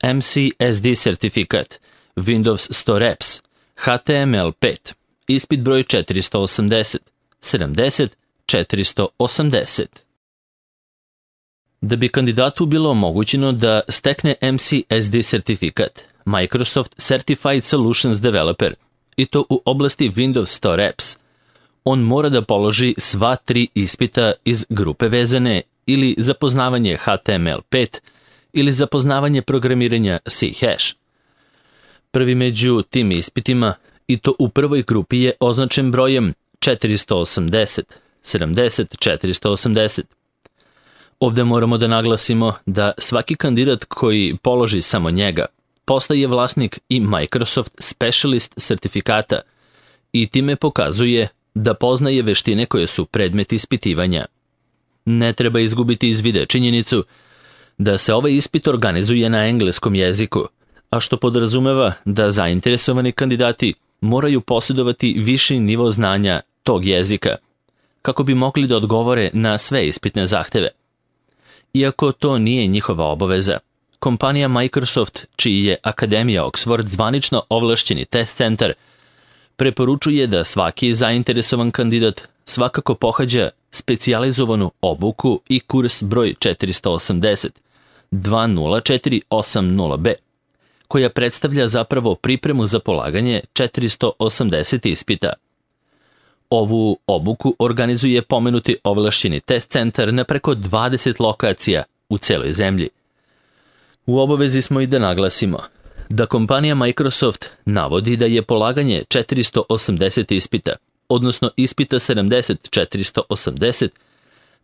MCSD sertifikat, Windows Store Apps, HTML5, ispit broj 480, 70, 480. Da bi kandidatu bilo omogućeno da stekne MCSD sertifikat, Microsoft Certified Solutions Developer, i to u oblasti Windows Store Apps, on mora da položi sva 3 ispita iz grupe vezane ili za poznavanje HTML5 ili za poznavanje programiranja C#. Prvi među tim ispitima, i to u prvoj grupi, je označen brojem 480, 70, 480. Ovde moramo da naglasimo da svaki kandidat koji položi samo njega postaje vlasnik i Microsoft Specialist sertifikata i time pokazuje da poznaje veštine koje su predmet ispitivanja. Ne treba izgubiti iz vida činjenicu da se ovaj ispit organizuje na engleskom jeziku, a što podrazumeva da zainteresovani kandidati moraju posjedovati viši nivo znanja tog jezika, kako bi mogli da odgovore na sve ispitne zahteve. Iako to nije njihova obaveza, kompanija Microsoft, čiji je Akademija Oxford zvanično ovlašćeni test centar, preporučuje da svaki zainteresovan kandidat svakako pohađa specijalizovanu obuku i kurs broj 480, 20480B, koja predstavlja zapravo pripremu za polaganje 480 ispita. Ovu obuku organizuje pomenuti ovlašćeni test centar na preko 20 lokacija u celoj zemlji. U obavezi smo i da naglasimo da kompanija Microsoft navodi da je polaganje 480 ispita, odnosno ispita 70-480,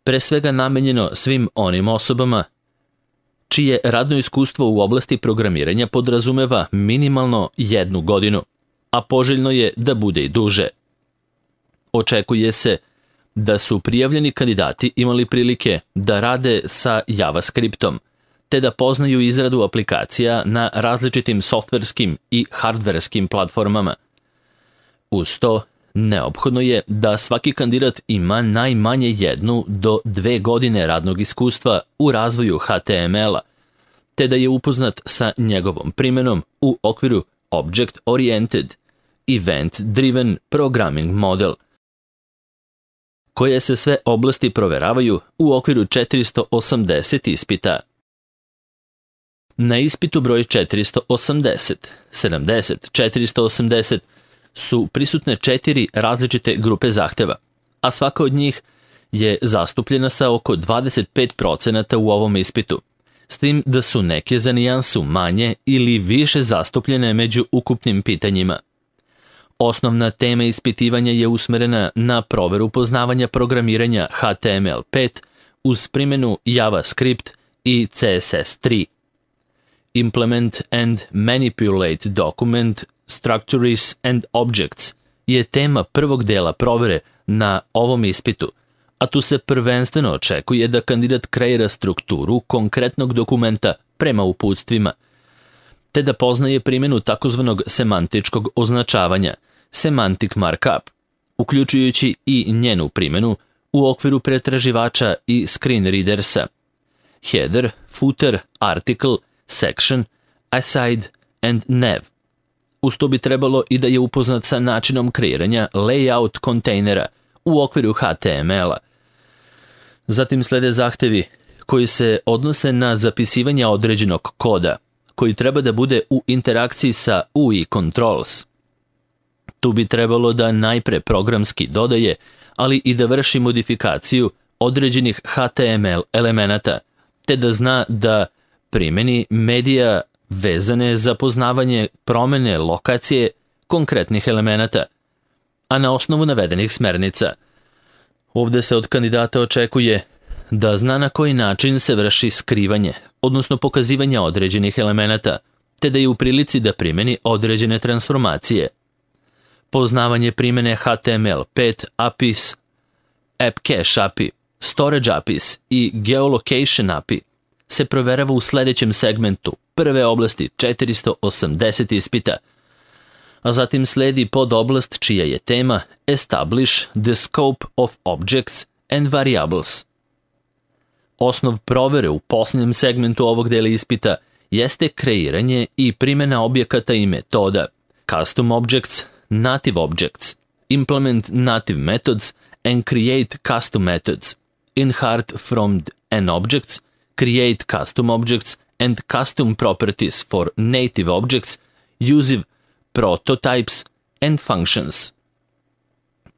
pre svega namenjeno svim onim osobama čije radno iskustvo u oblasti programiranja podrazumeva minimalno 1 godinu, a poželjno je da bude i duže. Očekuje se da su prijavljeni kandidati imali prilike da rade sa JavaScriptom, te da poznaju izradu aplikacija na različitim softverskim i hardverskim platformama. Uz to, neophodno je da svaki kandidat ima najmanje 1 do 2 godine radnog iskustva u razvoju HTML-a, te da je upoznat sa njegovom primenom u okviru Object Oriented, Event Driven Programming Model, koje se sve oblasti proveravaju u okviru 480 ispita. Na ispitu broj 480, 70, 480 su prisutne 4 različite grupe zahteva, a svaka od njih je zastupljena sa oko 25% u ovom ispitu, s tim da su neke za nijansu manje ili više zastupljene među ukupnim pitanjima. Osnovna tema ispitivanja je usmerena na proveru poznavanja programiranja HTML5 uz primjenu JavaScript i CSS3. Implement and Manipulate Document Structures and Objects je tema prvog dela provere na ovom ispitu, a tu se prvenstveno očekuje da kandidat kreira strukturu konkretnog dokumenta prema uputstvima, te da poznaje primjenu takozvanog semantičkog označavanja, semantic markup, uključujući i njenu primjenu u okviru pretraživača i screen readersa, header, footer, article, section, aside and nav. Uz to bi trebalo i da je upoznat sa načinom kreiranja layout kontejnera u okviru HTML-a. Zatim slede zahtevi koji se odnose na zapisivanje određenog koda, koji treba da bude u interakciji sa UI controls. Tu bi trebalo da najpre programski dodaje, ali i da vrši modifikaciju određenih HTML elemenata, te da zna da primeni medija vezane za poznavanje promene lokacije konkretnih elemenata, a na osnovu navedenih smernica. Ovde se od kandidata očekuje da zna na koji način se vrši skrivanje, odnosno pokazivanje određenih elemenata, te da je u prilici da primeni određene transformacije. Poznavanje primene HTML5 APIs, App Cache API, Storage APIs i Geolocation API se proverava u sledećem segmentu prve oblasti 480 ispita, a zatim sledi podoblast čija je tema Establish the Scope of Objects and Variables. Osnov provere u posljednjem segmentu ovog dela ispita jeste kreiranje i primjena objekata i metoda, custom objects, native objects, implement native methods and create custom methods, inherit from an objects, create custom objects and custom properties for native objects, use prototypes and functions.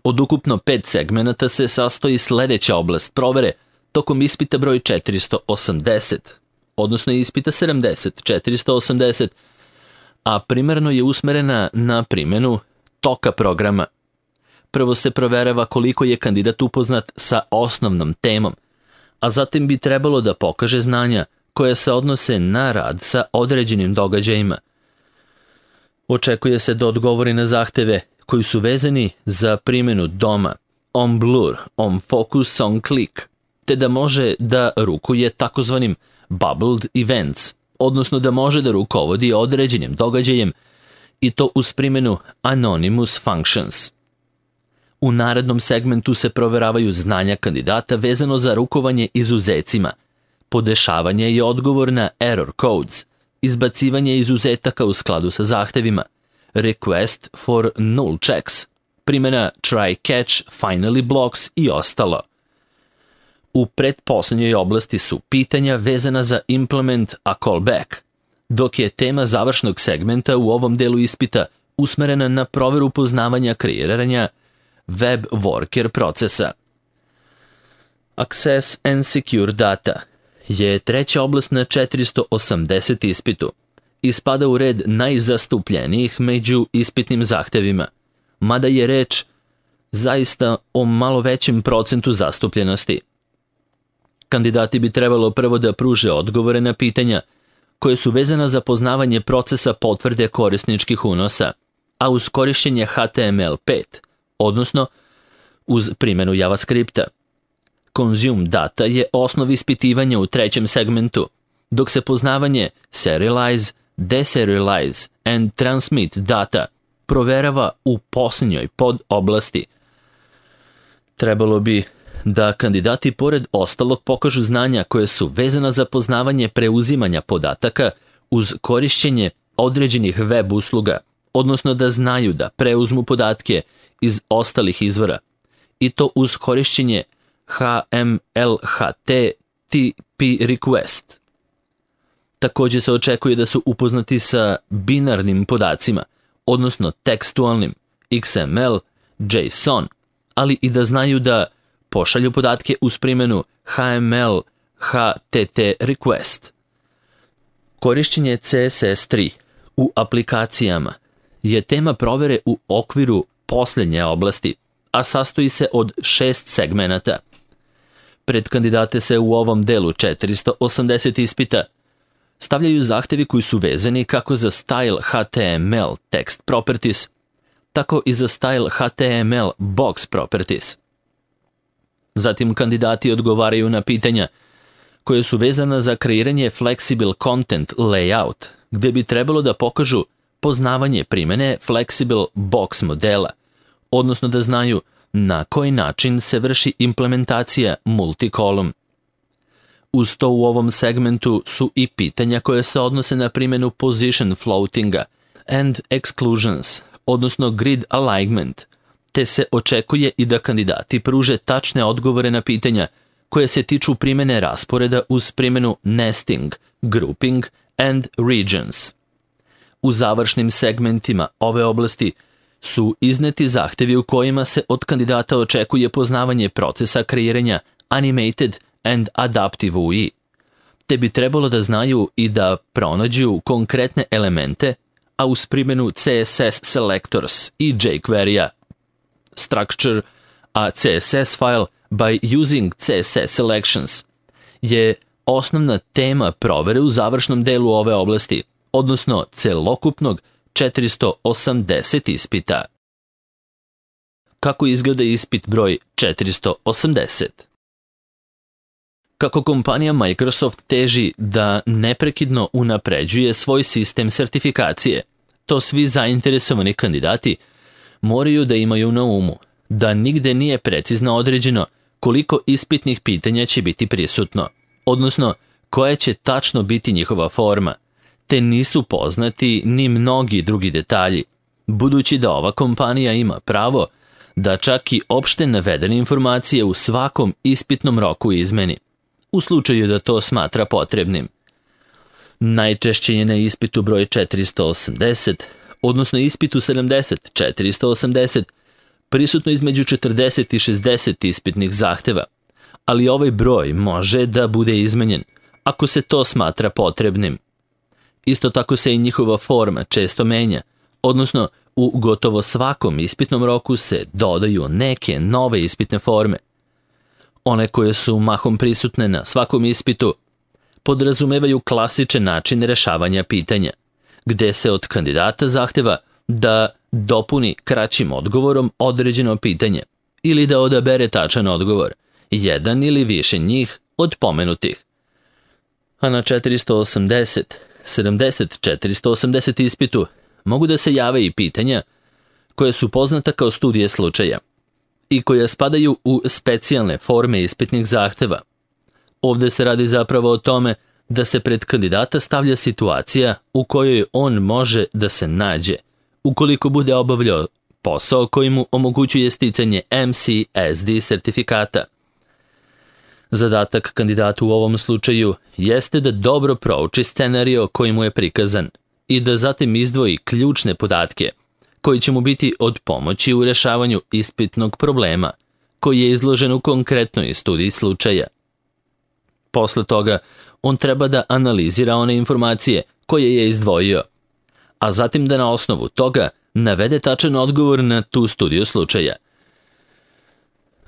Od ukupno 5 segmenata se sastoji sledeća oblast provere tokom ispita broj 480, odnosno ispita 480, a primarno je usmerena na primjenu toka programa. Prvo se proverava koliko je kandidat upoznat sa osnovnom temom, a zatim bi trebalo da pokaže znanja koja se odnose na rad sa određenim događajima. Očekuje se da odgovori na zahteve koji su vezani za primjenu DOM-a, on blur, on focus, on click, te da može da rukuje takozvanim bubbled events, odnosno da može da rukovodi određenim događajem i to uz primjenu anonymous functions. U narednom segmentu se proveravaju znanja kandidata vezano za rukovanje izuzecima, podešavanje i odgovor na error codes, izbacivanje izuzetaka u skladu sa zahtevima, request for null checks, primjena try catch, finally blocks i ostalo. U pretposlednjoj oblasti su pitanja vezana za implement a callback, dok je tema završnog segmenta u ovom delu ispita usmerena na proveru poznavanja kreiranja web worker procesa. Access and secure data je treća oblast na 480 ispitu i spada u red najzastupljenijih među ispitnim zahtevima, mada je reč zaista o malo većem procentu zastupljenosti. Kandidati bi trebalo prvo da pruže odgovore na pitanja koje su vezana za poznavanje procesa potvrde korisničkih unosa, a uz korišćenje HTML5, odnosno uz primjenu JavaScripta. Consume data je osnov ispitivanja u trećem segmentu, dok se poznavanje serialize, deserialize and transmit data proverava u posljednjoj podoblasti. Trebalo bi da kandidati pored ostalog pokažu znanja koje su vezana za poznavanje preuzimanja podataka uz korišćenje određenih web usluga, odnosno da znaju da preuzmu podatke iz ostalih izvora, i to uz korišćenje HMLHT TP request. Također se očekuje da su upoznati sa binarnim podacima, odnosno tekstualnim XML, JSON, ali i da znaju da pošalju podatke uz primjenu HML HTT request. Korišćenje CSS3 u aplikacijama je tema provere u okviru posljednje oblasti, a sastoji se od 6 segmenata. Pred kandidate se u ovom delu 480 ispita stavljaju zahtevi koji su vezani kako za style HTML text properties, tako i za style HTML box properties. Zatim kandidati odgovaraju na pitanja koje su vezana za kreiranje flexible content layout, gde bi trebalo da pokažu poznavanje primjene flexible box modela, odnosno da znaju na koji način se vrši implementacija multicolumn. Uz to u ovom segmentu su i pitanja koje se odnose na primjenu position floatinga and exclusions, odnosno grid alignment, te se očekuje i da kandidati pruže tačne odgovore na pitanja koje se tiču primjene rasporeda uz primjenu nesting, grouping and regions. U završnim segmentima ove oblasti su izneti zahtevi u kojima se od kandidata očekuje poznavanje procesa kreiranja animated and adaptive UI, te bi trebalo da znaju i da pronađu konkretne elemente, a uz primjenu CSS selectors i jQuery-a. Structure a CSS file by using CSS selections je osnovna tema provere u završnom delu ove oblasti, odnosno celokupnog 480 ispita. Kako izgleda ispit broj 480? Kako kompanija Microsoft teži da neprekidno unapređuje svoj sistem sertifikacije, to svi zainteresovani kandidati moraju da imaju na umu, da nigde nije precizno određeno koliko ispitnih pitanja će biti prisutno, odnosno koja će tačno biti njihova forma, te nisu poznati ni mnogi drugi detalji, budući da ova kompanija ima pravo da čak i opšte navedene informacije u svakom ispitnom roku izmeni, u slučaju da to smatra potrebnim. Najčešće je na ispitu broj 480, odnosno ispitu 70-480, prisutno između 40 i 60 ispitnih zahteva, ali ovaj broj može da bude izmenjen ako se to smatra potrebnim. Isto tako se i njihova forma često menja, odnosno u gotovo svakom ispitnom roku se dodaju neke nove ispitne forme. One koje su mahom prisutne na svakom ispitu podrazumevaju klasičan način rešavanja pitanja, gde se od kandidata zahteva da dopuni kraćim odgovorom određeno pitanje ili da odabere tačan odgovor, jedan ili više njih od pomenutih. A na 480, 70, 480 ispitu mogu da se jave i pitanja koja su poznata kao studije slučaja i koja spadaju u specijalne forme ispitnih zahteva. Ovde se radi zapravo o tome da se pred kandidata stavlja situacija u kojoj on može da se nađe ukoliko bude obavljao posao koji mu omogućuje sticanje MCSD sertifikata. Zadatak kandidata u ovom slučaju jeste da dobro prouči scenario koji mu je prikazan i da zatim izdvoji ključne podatke koji će mu biti od pomoći u rešavanju ispitnog problema koji je izložen u konkretnoj studiji slučaja. Posle toga, on treba da analizira one informacije koje je izdvojio, a zatim da na osnovu toga navede tačan odgovor na tu studiju slučaja.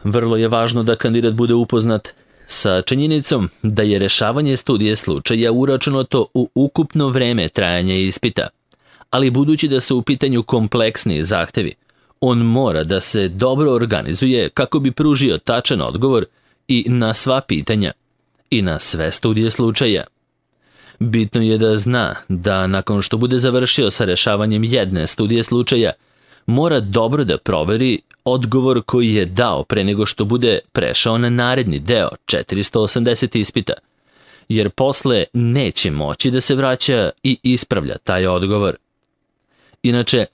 Vrlo je važno da kandidat bude upoznat sa činjenicom da je rešavanje studije slučaja uračunato u ukupno vreme trajanja ispita, ali budući da su u pitanju kompleksni zahtevi, on mora da se dobro organizuje kako bi pružio tačan odgovor i na sva pitanja i na sve studije slučaja. Bitno je da zna da nakon što bude završio sa rešavanjem jedne studije slučaja, mora dobro da proveri odgovor koji je dao pre nego što bude prešao na naredni deo 480 ispita, jer posle neće moći da se vraća i ispravlja taj odgovor. Inače,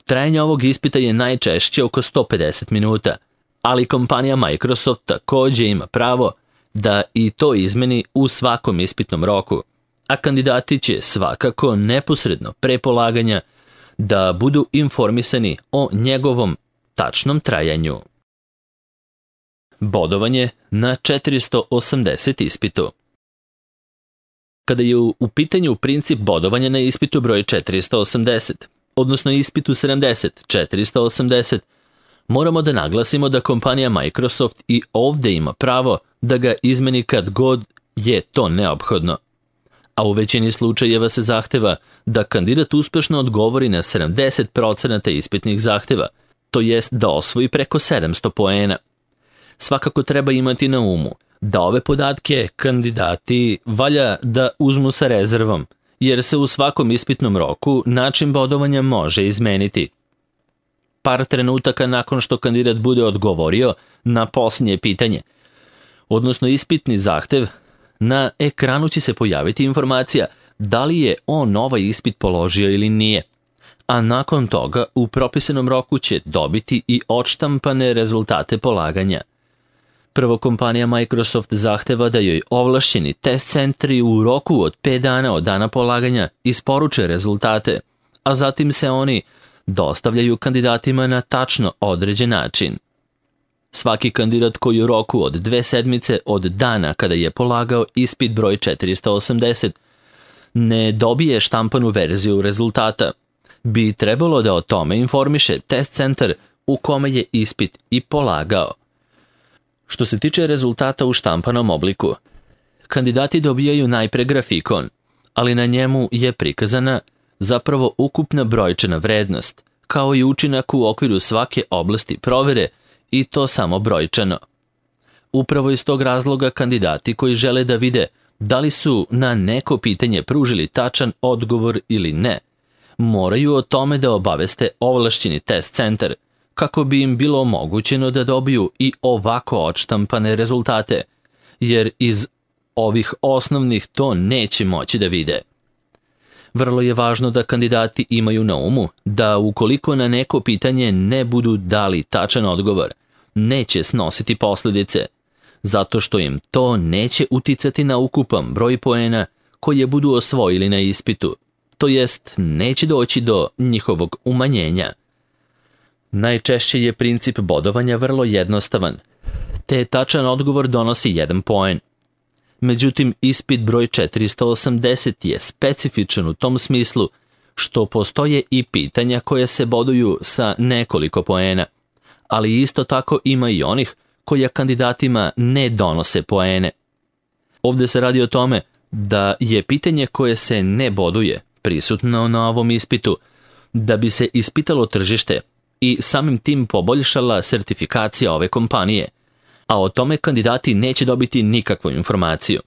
trajanje ovog ispita je najčešće oko 150 minuta, ali kompanija Microsoft takođe ima pravo da i to izmeni u svakom ispitnom roku, a kandidati će svakako neposredno pre polaganja da budu informisani o njegovom tačnom trajanju. Bodovanje na 480 ispitu. Kada je u pitanju princip bodovanja na ispitu broj 480, odnosno ispitu 70-480, moramo da naglasimo da kompanija Microsoft i ovde ima pravo da ga izmeni kad god je to neophodno. A u većini slučajeva se zahteva da kandidat uspešno odgovori na 70% ispitnih zahteva, to jest da osvoji preko 700 poena. Svakako treba imati na umu da ove podatke kandidati valja da uzmu sa rezervom, jer se u svakom ispitnom roku način bodovanja može izmeniti. Par trenutaka nakon što kandidat bude odgovorio na posljednje pitanje, odnosno ispitni zahtev, na ekranu će se pojaviti informacija da li je on ovaj ispit položio ili nije, a nakon toga u propisanom roku će dobiti i odštampane rezultate polaganja. Prvo, kompanija Microsoft zahteva da joj ovlašćeni test centri u roku od 5 dana od dana polaganja isporuče rezultate, a zatim se oni dostavljaju kandidatima na tačno određen način. Svaki kandidat koji u roku od 2 sedmice od dana kada je polagao ispit broj 480 ne dobije štampanu verziju rezultata, bi trebalo da o tome informiše test centar u kome je ispit i polagao. Što se tiče rezultata u štampanom obliku, kandidati dobijaju najpre grafikon, ali na njemu je prikazana zapravo ukupna brojčana vrednost, kao i učinak u okviru svake oblasti provere, i to samo brojčano. Upravo iz tog razloga kandidati koji žele da vide da li su na neko pitanje pružili tačan odgovor ili ne, moraju o tome da obaveste ovlašćeni test centar, kako bi im bilo omogućeno da dobiju i ovako odštampane rezultate, jer iz ovih osnovnih to neće moći da vide. Vrlo je važno da kandidati imaju na umu da ukoliko na neko pitanje ne budu dali tačan odgovor, neće snositi posljedice, zato što im to neće uticati na ukupan broj poena koje budu osvojili na ispitu, to jest neće doći do njihovog umanjenja. Najčešće je princip bodovanja vrlo jednostavan, te tačan odgovor donosi 1 poen. Međutim, ispit broj 480 je specifičan u tom smislu što postoje i pitanja koja se boduju sa nekoliko poena, ali isto tako ima i onih koja kandidatima ne donose poene. Ovdje se radi o tome da je pitanje koje se ne boduje prisutno na ovom ispitu da bi se ispitalo tržište i samim tim poboljšala sertifikacija ove kompanije, a o tome kandidati neće dobiti nikakvu informaciju.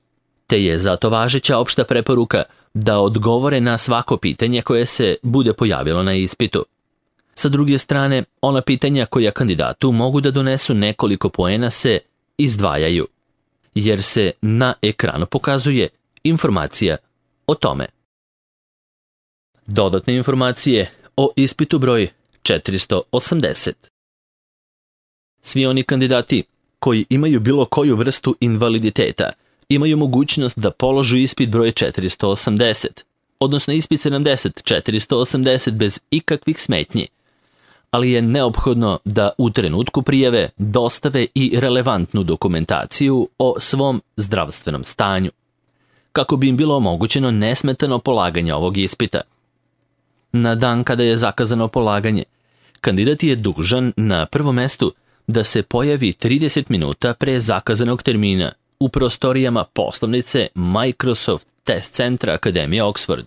Te je zato važeća opšta preporuka da odgovore na svako pitanje koje se bude pojavilo na ispitu. Sa druge strane, ona pitanja koja kandidatu mogu da donesu nekoliko poena se izdvajaju, jer se na ekranu pokazuje informacija o tome. Dodatne informacije o ispitu broj 480. Svi oni kandidati koji imaju bilo koju vrstu invaliditeta imaju mogućnost da položu ispit broj 480, odnosno ispit 480 bez ikakvih smetnji, ali je neophodno da u trenutku prijave dostave i relevantnu dokumentaciju o svom zdravstvenom stanju, kako bi im bilo omogućeno nesmetano polaganje ovog ispita. Na dan kada je zakazano polaganje, kandidat je dužan na prvom mestu da se pojavi 30 minuta pre zakazanog termina u prostorijama poslovnice Microsoft Test Centra Akademije Oxford,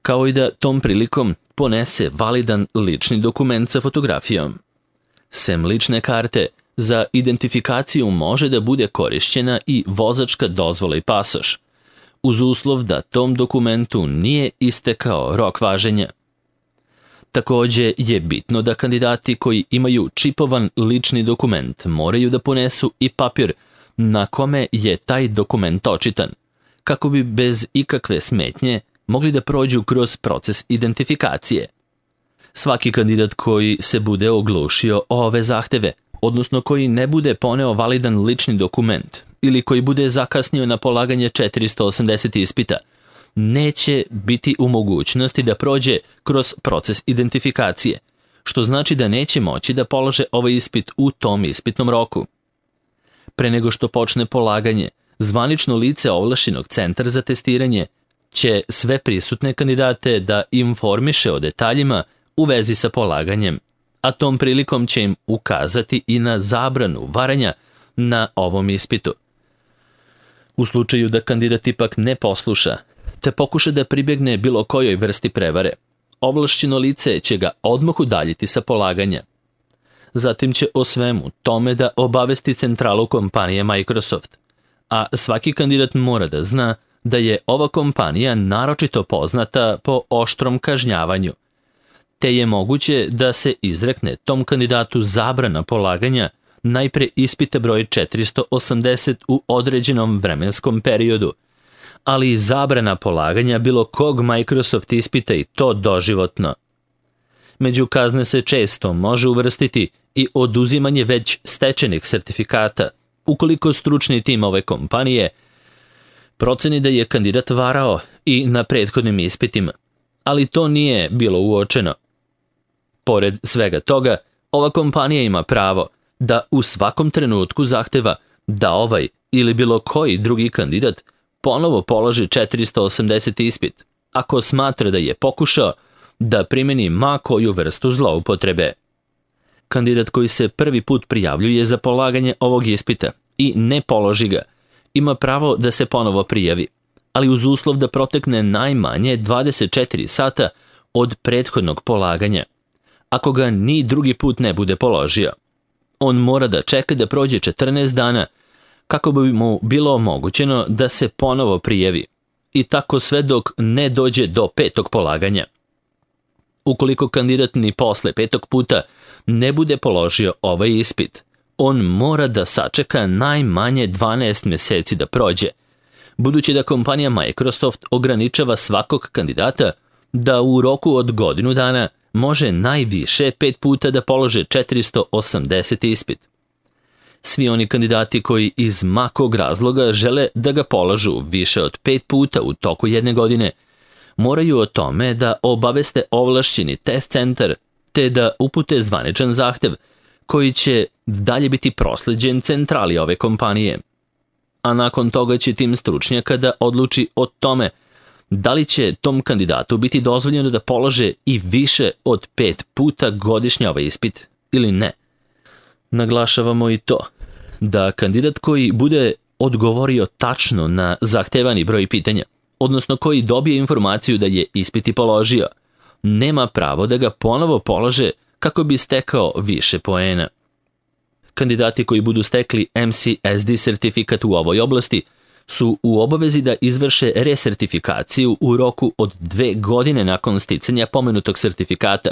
kao i da tom prilikom ponese validan lični dokument sa fotografijom. Sem lične karte, za identifikaciju može da bude korišćena i vozačka dozvola i pasoš, uz uslov da tom dokumentu nije istekao rok važenja. Također je bitno da kandidati koji imaju čipovan lični dokument moraju da ponesu i papir na kome je taj dokument očitan, kako bi bez ikakve smetnje mogli da prođu kroz proces identifikacije. Svaki kandidat koji se bude oglušio o ove zahteve, odnosno koji ne bude poneo validan lični dokument ili koji bude zakasnio na polaganje 480 ispita, neće biti u mogućnosti da prođe kroz proces identifikacije, što znači da neće moći da polože ovaj ispit u tom ispitnom roku. Pre nego što počne polaganje, zvanično lice ovlašćenog centra za testiranje će sve prisutne kandidate da informiše o detaljima u vezi sa polaganjem, a tom prilikom će im ukazati i na zabranu varanja na ovom ispitu. U slučaju da kandidat ipak ne posluša, te pokuša da pribjegne bilo kojoj vrsti prevare, ovlašćeno lice će ga odmah udaljiti sa polaganja. Zatim će o svemu tome da obavesti centralu kompanije Microsoft, a svaki kandidat mora da zna da je ova kompanija naročito poznata po oštrom kažnjavanju, te je moguće da se izrekne tom kandidatu zabrana polaganja najpre ispita broj 480 u određenom vremenskom periodu, ali i zabrana polaganja bilo kog Microsoft ispita i to doživotno. Među kazne se često može uvrstiti i oduzimanje već stečenih sertifikata, ukoliko stručni tim ove kompanije proceni da je kandidat varao i na prethodnim ispitima, ali to nije bilo uočeno. Pored svega toga, ova kompanija ima pravo da u svakom trenutku zahteva da ovaj ili bilo koji drugi kandidat ponovo položi 480 ispit, ako smatra da je pokušao da primeni ma koju vrstu zloupotrebe. Kandidat koji se prvi put prijavljuje za polaganje ovog ispita i ne položi ga, ima pravo da se ponovo prijavi, ali uz uslov da protekne najmanje 24 sata od prethodnog polaganja, ako ga ni drugi put ne bude položio. On mora da čeka da prođe 14 dana kako bi mu bilo omogućeno da se ponovo prijavi, i tako sve dok ne dođe do 5. polaganja. Ukoliko kandidat ni posle 5. puta ne bude položio ovaj ispit, on mora da sačeka najmanje 12 meseci da prođe, budući da kompanija Microsoft ograničava svakog kandidata da u roku od godinu dana može najviše 5 puta da polože 480 ispit. Svi oni kandidati koji iz ma kog razloga žele da ga polažu više od 5 puta u toku jedne godine, moraju o tome da obaveste ovlašćeni test centar te da upute zvaničan zahtev koji će dalje biti prosleđen centrali ove kompanije. A nakon toga će tim stručnjaka da odluči o tome da li će tom kandidatu biti dozvoljeno da polože i više od 5 puta godišnje ovaj ispit ili ne. Naglašavamo i to da kandidat koji bude odgovorio tačno na zahtevani broj pitanja, odnosno koji dobije informaciju da je ispit i položio, nema pravo da ga ponovo polože kako bi stekao više poena. Kandidati koji budu stekli MCSD sertifikat u ovoj oblasti su u obavezi da izvrše resertifikaciju u roku od 2 godine nakon sticanja pomenutog sertifikata.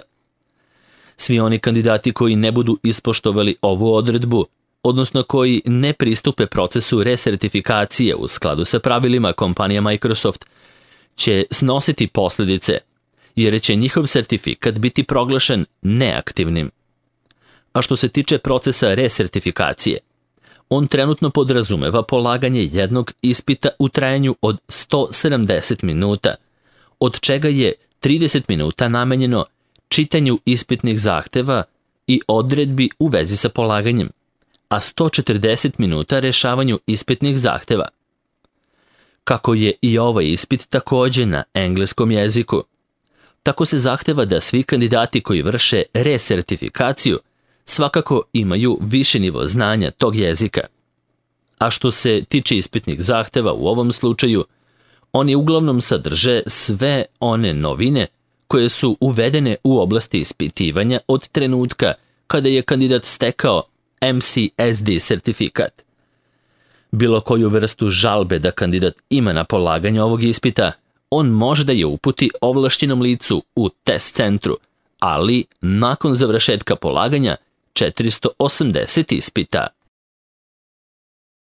Svi oni kandidati koji ne budu ispoštovali ovu odredbu, odnosno koji ne pristupe procesu resertifikacije u skladu sa pravilima kompanija Microsoft, će snositi posljedice, jer će njihov sertifikat biti proglašen neaktivnim. A što se tiče procesa resertifikacije, on trenutno podrazumeva polaganje jednog ispita u trajanju od 170 minuta, od čega je 30 minuta namenjeno čitanju ispitnih zahteva i odredbi u vezi sa polaganjem, a 140 minuta rešavanju ispitnih zahteva. Kako je i ovaj ispit također na engleskom jeziku, tako se zahteva da svi kandidati koji vrše resertifikaciju svakako imaju više nivo znanja tog jezika. A što se tiče ispitnih zahteva u ovom slučaju, oni uglavnom sadrže sve one novine koje su uvedene u oblasti ispitivanja od trenutka kada je kandidat stekao MCSD sertifikat. Bilo koju vrstu žalbe da kandidat ima na polaganje ovog ispita, on može da je uputi ovlašćenom licu u test centru, ali nakon završetka polaganja 480 ispita.